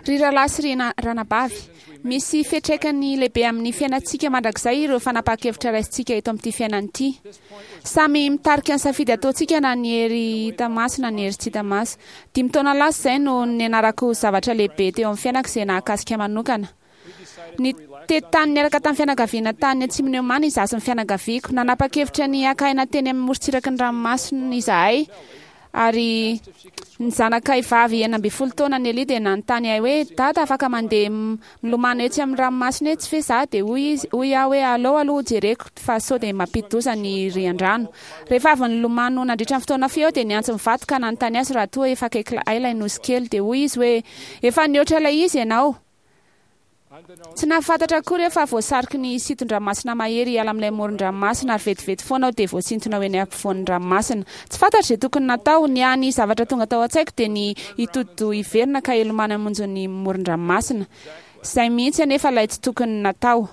Ry rahalahy sy ry ranabavy, misy fiantraikany lehibe amin'ny fiainantsika mandrakizay ireo fanapahan-kevitra raisintsika eto amin'ity fiainana ity. Samy mitarika ny safidy ataontsika na ny hery hita maso na ny hery tsy hita maso. Dimy taona lasa izay no nianarako zavatra lehibe teo amin'ny fiainako izay nahakasika manokana. Nitety tany niaraka tamin'ny fianakaviana tany atsimon'i Oman izaho sy ny fianakaviako. Nanapa-kevitra ny haka aina teny amin'ny morontsiraky ny ranomasina izahay, ary ny zanakay vavy 16 taona Nelly dia nanontany ahy hoe, Dada, afaka mandeha milomano etsy amin'ny ranomasina etsy ve izaho? Dia hoy izy, hoy aho hoe, Aleo aloha hojereko fa sao dia mampidi-doza ny rian-drano. Rehefa avy nilomano nandritra ny fotoana fohy aho dia niantso ny vadiko ka nanontany azy raha toa efa akaiky ahy ilay nosy kely. Dia hoy izy hoe, Efa nihoatra ilay izy ianao. Tsy nahafantatra akory aho fa voasariky ny sinton-dranomasina mahery hiala amin'ilay moron-dranomasina ary vetivety foana aho dia voasintona ho eny ampovoan'ny ranomasina. Tsy fantatro izay tokony natao. Ny hany zavatra tonga tao an-tsaiko dia ny hitodi-doha hiverina ka hilomano hamonjy ny moron-dranomasina. Izay mihitsy anefa ilay tsy tokony natao.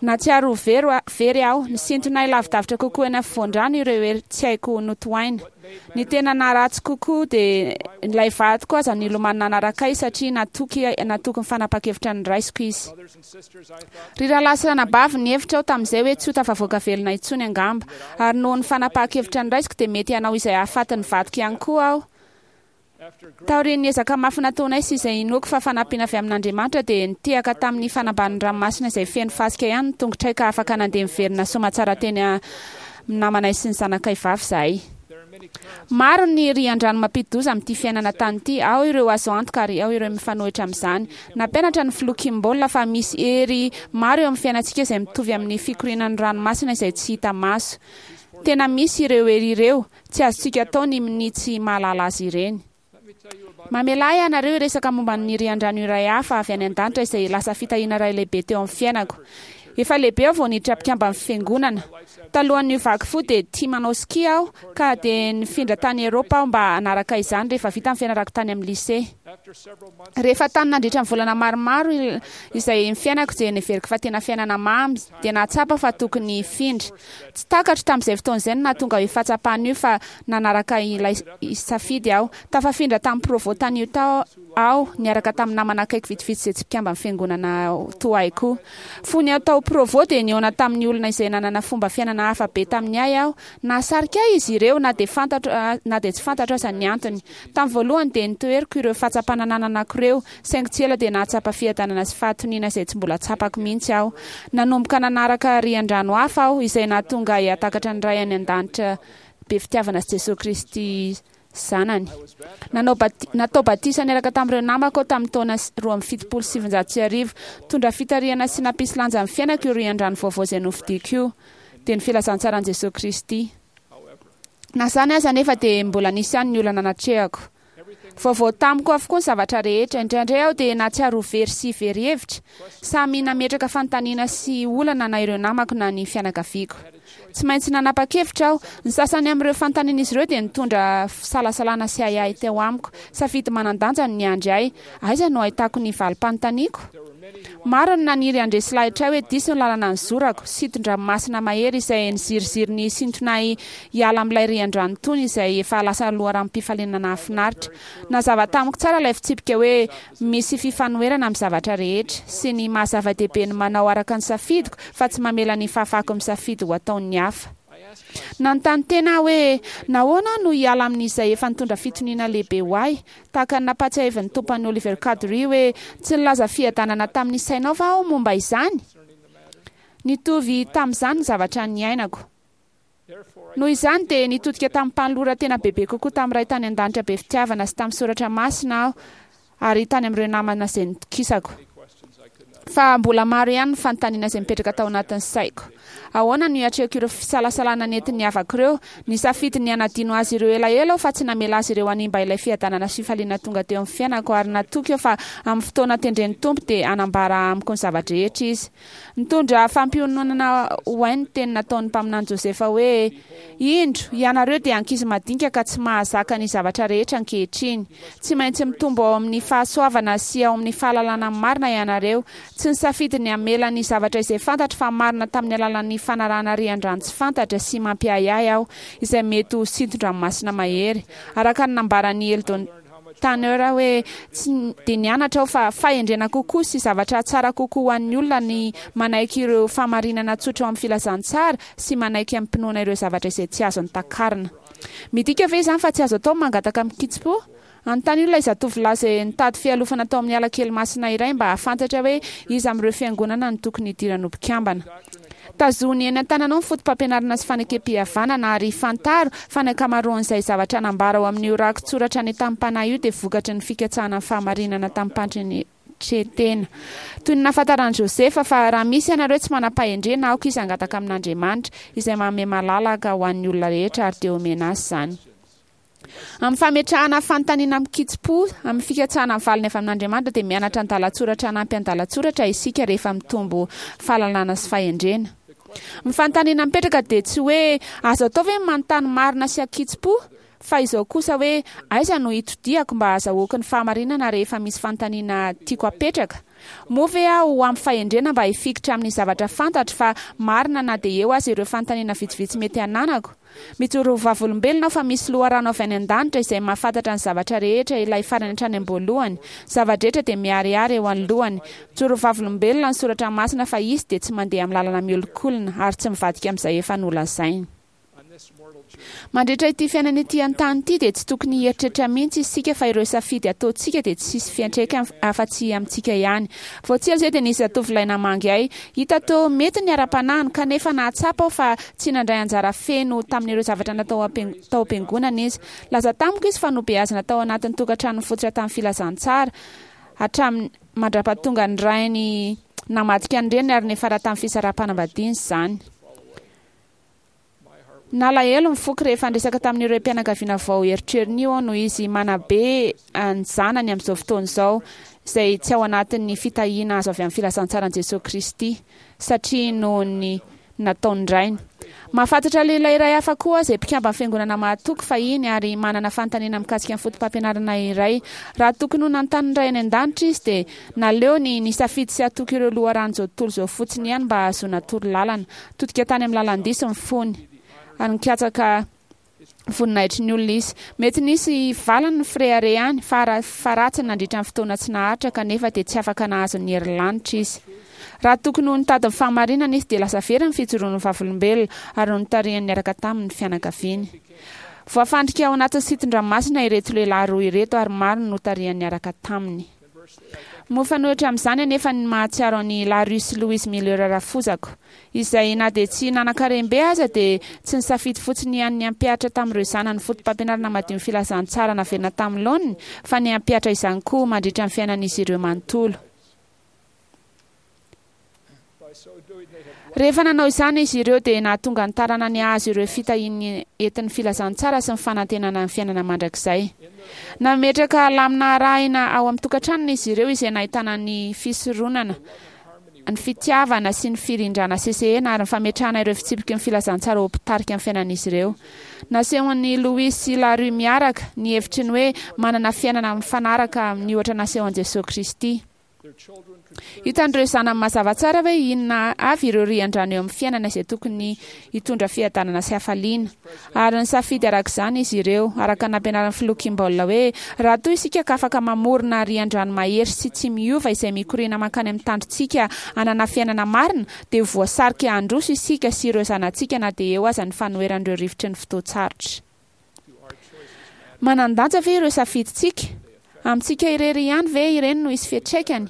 Nahatsiaro ho very very aho. Nisintona ahy lavidavitra kokoa eny afovoan-drano ireo hery tsy haiko notohaina. Ny tena naharatsy kokoa dia ilay vadiko aza nilomano nanaraka ahy satria natoky natoky ny fanapahan-kevitra noraisiko izy. Ry rahalahy sy ranabavy, nihevitra aho tamin'izay hoe tsy ho tafavoaka velona intsony angamba. Ary noho ny fanapahan-kevitra noraisiko dia mety hanao izay hahafaty ny vadiko ihany koa aho. Taorian'ny ezaka mafy nataonay sy izay inoako fa fanampiana avy amin'Andriamanitra dia nitehaka tamin'ny fanambanin'ny ranomasina izay feno fasika ihany ny tongotray ka afaka nandeha niverina soamatsara teny amin'ny namanay sy ny zanakay vavy izahay. Maro ny rian-drano mampidi-doza amin'ity fiainana tany ity, ao ireo azo antoka ary ao ireo mifanohitra amin'izany. Nampianatra ny Filoha Kimball fa misy hery maro eo amin'ny fiainantsika izay mitovy amin'ny fikorianan'ny ranomasina izay tsy hita maso. Tena misy ireo hery ireo, Tsy azontsika atao ny minia tsy mahalala azy ireny. Mamelà ahy ianareo hiresaka momba ny rian-drano iray hafa avy any an-danitra izay lasa fitahiana iray lehibe teo amin'ny fiainako. Efa lehibe aho vao niditra mpikamban'ny Fiangonana. Talohan'ny niovako fo dia tia manao ski aho, ka dia nifindra tany Eropa aho mba hanaraka izany rehefa vita ny fianarako tany amin'ny lycée. Rehefa tany nandritra ny volana maromaro izay ny fiainako dia neveriko fa tena fiainana mamy, dia nahatsapa fa tokony hifindra. Tsy takatro tamin'izay fotoana izay ny nahatonga io fahatsapana io fa nanaraka ilay safidy aho. Tafafindra tamin'ny Provo tany Utah aho niaraka tamin'ny namana akaiky vitsivitsy izay tsy mpikamban'ny Fiangonana toa ahy koa. Fony aho tao Provo dia nihaona tamin'ny olona izay nanana fomba fiainana hafa be tamin'ny ahy aho. Nahasarika ahy izy ireo na dia fantatro na dia tsy fantatro aza ny antony. Tamin'ny voalohany dia notoheriko ireo fahatsapana nananako ireo, saingy tsy ela dia nahatsapa fiadanana sy fahatoniana izay tsy mbola tsapako mihitsy aho. Nanomboka nanaraka rian-drano hafa aho, izay nahatonga ahy hahatakatra ny Ray any An-danitra be fitiavana sy Jesoa Kristy Zanany. Nanao bati-, natao batisa niaraka tamin'ireo namako aho tamin'ny taona 1972. Nitondra fitarihana sy nampisy lanja ny fiainako io rian-drano vaovao izay nofidiko io, dia ny filazantsaran'i Jesoa Kristy. Na izany aza anefa dia mbola nisy ihany ny olana natrehako. Vaovao tamiko avokoa ny zavatra rehetra. Indraindray aho dia nahatsiaro ho very sy very hevitra. Samy nametraka fanontaniana sy olana na ireo namako na ny fianakaviako. Tsy maintsy nanapa-kevitra aho. Ny sasany amin'ireo fanontanian'izy ireo dia nitondra fisalasalana sy ahiahy teo amiko. Safidy manan-danja no niandry ahy. Aiza no ahitako ny valim-panontaniako? Maro ny naniry handresy lahitra ahy hoe diso ny lalana nizorako, sinton-dranomasina mahery izay niziriziry ny hisintona ahy hiala amin'ilay rian-drano tony izay efa lasa loharanom-pifaliana nahafinaritra. Nazava tamiko tsara ilay fitsipika hoe misy fifanoherana amin'ny zavatra rehetra, sy ny maha-zava-dehibe ny manao araka ny safidiko fa tsy mamela ny fahafahako misafidy ho ataon'ny hafa. Nanontany tena aho hoe, 'Nahoana aho no hiala amin'izay efa nitondra fitoniana lehibe ho ahy? Tahaka ny nampahatsiahivin'ny Tompo an'i Oliver Cowdery hoe, Tsy nilaza fiadanana tamin'ny sainao va aho momba izany? Nitovy tamin'izany ny zavatra niainako. Noho izany dia nitodika tamim-panoloran-tena bebe kokoa tamin'ny Ray tany An-danitra be fitiavana sy tamin'ny soratra masina aho ary tany amin'ireo namana izay nitokisako. Fa mbola maro ihany ny fanontaniana izay mipetraka tao anatin'ny saiko. Ahoana no hiatrehako ireo fisalasalana nentin'ny havako ireo? Nisafidy ny hanadino azy ireo elaela aho fa tsy namela azy ireo hanimba ilay fiadanana sy fifaliana tonga teo amin'ny fiainako ary natoky aho fa amin'ny fotoana tendren'ny Tompo dia hanambara amiko ny zava-drehetra Izy. Nitondra fampiononana ho ahy ny teny nataon'ny mpaminany Josefa hoe, Indro, ianareo dia ankizy madinika ka tsy mahazaka ny zavatra rehetra ankehitriny. Tsy maintsy mitombo ao amin'ny fahasoavana sy ao amin'ny fahalalana ny marina ianareo. Tsy nisafidy ny hamela ny zavatra izay fantatro fa marina tamin'ny alalan'ny fanarahana rian-drano tsy fantatra sy mampiahiahy aho, izay mety ho sinton-dranomasina mahery. Araka ny nambaran'i Eldon. Tanner hoe, Tsy dia nianatra aho fa fahendrena kokoa sy zavatra tsara kokoa ho an'ny olona ny manaiky ireo fahamarinana tsotra ao amin'ny filazantsara sy manaiky amim-pinoana ireo zavatra izay tsy azony takarina. Midika ve izany fa tsy azo atao ny mangataka amin-kitsim-po? Anontanio ilay zatovolahy izay nitady fialofana tao amin'ny ala kely masina iray mba hahafantatra hoe iza amin'ireo fiangonana no tokony hidirany ho mpikambana. Tazony eny an-tananao ny fotopampianarana sy fanekempihavanana ary fantaro fa ny ankamaroan'izay zavatra nambara ao amin'io rakitsoratra nentanim'panahy io dia vokatry ny fikatsahana ny fahamarinana tamim-pandretren-tena. Toy ny nahafantaran'i Josefa fa raha misy ianareo tsy manam-pahendrena, aoka izy hangataka amin'Andriamanitra, izay manome malalaka ho an'ny olona rehetra, ary dia homena azy izany. Amin'ny fametrahana fanontaniana amin-kitsim-po, amin'ny fikatsahana ny valiny avy amin'Andriamanitra, dia mianatra andalan-tsoratra hanampy andalan-tsoratra isika rehefa mitombo fahalalana sy fahendrena. Ny fanontaniana mipetraka dia tsy hoe azo atao ve ny manontany marina sy an-kitsim-po, fa izao kosa hoe aiza no hitodihako mba hahazahoako ny fahamarinana rehefa misy fanontaniana tiako hapetraka? Moa ve aho ho ampy fahendrena mba hifikitra amin'ny zavatra fantatro fa marina na dia eo aza ireo fanontaniana vitsivitsy mety hananako? Mijoro ho vavolombelona aho fa misy loharano avy any an-danitra izay mahafantatra ny zavatra rehetra, ilay farany hatrany am-boalohany. Zava-drehetra dia miharihary eo anoloany. Mijoro ho vavolombelona ny Soratra Masina fa Izy dia tsy mandeha amin'ny lalana miolikolina ary tsy mivadika amin'izay efa nolazainy. Mandritra ity fiainana ety an-tany ity dia tsy tokony hieritreritra mihitsy isika fa ireo safidy ataontsika dia tsy hisy fiantraikany afa-tsy amintsika ihany. Vao tsy ela izay dia nisy zatovolahy namangy ahy. Hita toa mety ny ara-panahiny, kanefa nahatsapa aho fa tsy nandray anjara feno tamin'ireo zavatra natao tao am-piangonana izy. Nilaza tamiko izy fa nobeazina tao anatin'ny tokantrano nifototra tamin'ny filazantsara, hatramin'ny mandra-pahatonga ny rainy namadika ny reniny ary niafara tamin'ny fisaraham-panambadiana izany. Nalahelo ny foko rehefa niresaka tamin'io raim-pianakaviana vao erotrerony io aho noho izy manabe ny zanany amin'izao fotoana izao, izay tsy ao anatin'ny fitahiana azo avy amin'ny filazantsaran'i Jesoa Kristy, satria noho ny nataon'ny rainy. Mahafantatra lehilahy iray hafa koa aho izay mpikamban'ny Fiangonana mahatoky fahiny ary manana fanontaniana mikasika ny fotopampianarana iray. Raha tokony ho nanontany ny Ray any An-danitra izy dia naleony nisafidy sy hatoky ireo loharanon'izao tontolo izao fotsiny ihany mba hahazoana torolalana. Nitodika tany amin'ny lalan-diso ny fony, ary nikatsaka voninahitry ny olona izy. Mety nisy valiny ny fireharehany, fara faharatsiny nandritra ny fotoana tsy naharitra, kanefa dia tsy afaka nahazo ny herin'ny lanitra izy. Raha tokony ho nitady ny fahamarinana izy, dia lasa very ny fijoroany ho vavolombelona, ary notarihany niaraka taminy ny fianakaviany. Voafandrika ao anatin'ny sitin-dranomasina ireto lehilahy roa ireto, ary maro no notarihany niaraka taminy. Mifanohitra amin'izany anefa ny mahatsiaro an'i Larry sy Louise Miller rafozako, izay na dia tsy nanan-karem-be aza dia tsy nisafidy fotsiny ihany ny hampihatra tamin'ireo zanany fotopampianarana madion'ny filazantsara naverina tamin'ny laoniny fa ny hampihatra izany koa mandritra ny fiainan'izy ireo manontolo. Rehefa nanao izany izy ireo dia nahatonga ny taranany hahazo ireo fitahian'ny entin'ny filazantsara sy ny fanantenana ny fiainana mandrakizay. Nametraka lamina arahina ao amin'ny tokantranony izy ireo izay nahitana ny fisoronana, ny fitiavana sy ny firindrana sesehena ary ny fametrahana ireo fitsipiky ny filazantsara ho mpitarika ny fiainan'izy ireo. Nasehon'i Louis sy Larry miaraka ny hevitry ny hoe manana fiainana mifanaraka amin'ny ohatra nasehon'i Jesoa Kristy. Hitan'ireo zanany mazava tsara hoe inona avy ireo rian-drano eo amin'ny fiainana izay tokony hitondra fiadanana sy hafaliana. Ary nisafidy araka izany izy ireo, araka ny nampianarin'ny Filoha Kimball hoe, Raha toa isika ka afaka mamorona rian-drano mahery sy tsy miova izay mikoriana mankany amin'ny tandrotsika hanana fiainana marina, dia ho voasarika handroso isika sy ireo zanatsika na dia eo aza ny fanoheran'ireo rivotry ny fotoan-tsarotra. Manan-danja ve ireo safidintsika? Amintsika irery ihany ve ireny no hisy fiantraikany?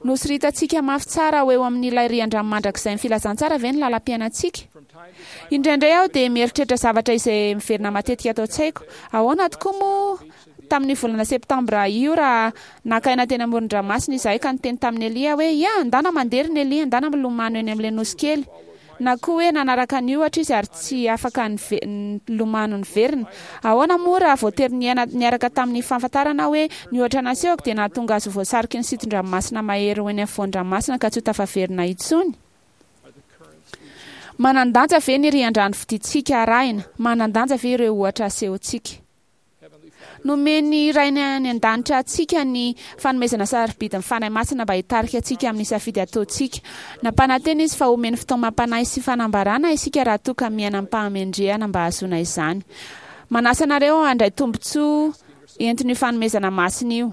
Nosoritantsika mafy tsara ho eo amin'ilay rian-drano mandrakizain'ny filazantsara ve ny lalam-piainantsika? Indraindray aho dia mieritreritra zavatra izay miverina matetika ato an-tsaiko. Ahoana tokoa moa tamin'io volana septambra io raha naka aina teny amoron-dranomasina izahay ka niteny tamin'i Elia hoe, Ia, andana mandeha ry Nelly, andana milomano eny amin'ilay nosy kely. Na koa hoe nanaraka ny ohatra izy ary tsy afaka nilomano niverina. Ahoana moa raha voatery niaina niaraka tamin'ny fahafantarana aho hoe ny ohatra nasehoko dia nahatonga azy ho voasariky ny siton-dranomasina mahery ho eny afovoan-dranomasina ka tsy ho tafaverina intsony? Manan-danja ve ny rian-drano fidintsika arahina? Manan-danja ve ireo ohatra asehontsika? Nomen'ny Rainy any An-danitra antsika ny fanomezana sarobidin'ny Fanahy Masina mba hitarika antsika amin'ny safidy ataontsika. Nampanantena Izy fa homeny fitaomam-panahy sy fanambarana isika raha toa ka miaina amim-pahamendrehana mba hahazoana izany. Manasa anareo handray tombontsoa. Entin'io fanomezana masina io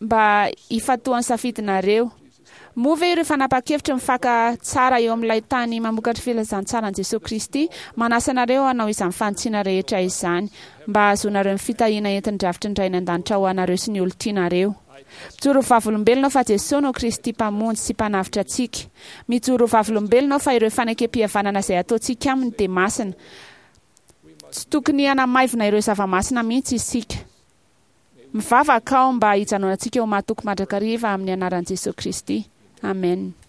mba hifantohan'ny safidinareo. Moa ve ireo fanapahan-kevitra mifaka tsara eo amin'ilay tany mamokatra filazantsaran'i Jesoa Kristy manasa anareo hanao izany fanitsiana rehetra izany mba hahazoanareo ny fitahiana entin'ny drafitry ny Ray any An-danitra ho anareo sy ny olon-tianareo? Mijoro ho vavolombelona aho fa Jesoa no Kristy Mpamonjy sy Mpanavotra antsika. Mijoro ho vavolombelona aho fa ireo fanekempihavanana izay ataontsika Aminy dia masina. Tsy tokony hanamaivina ireo zava-masina mihitsy isika. Mivavaka aho mba hijanonantsika ho mahatoky mandrakariva amin'ny anaran'i Jesoa Kristy. Amen.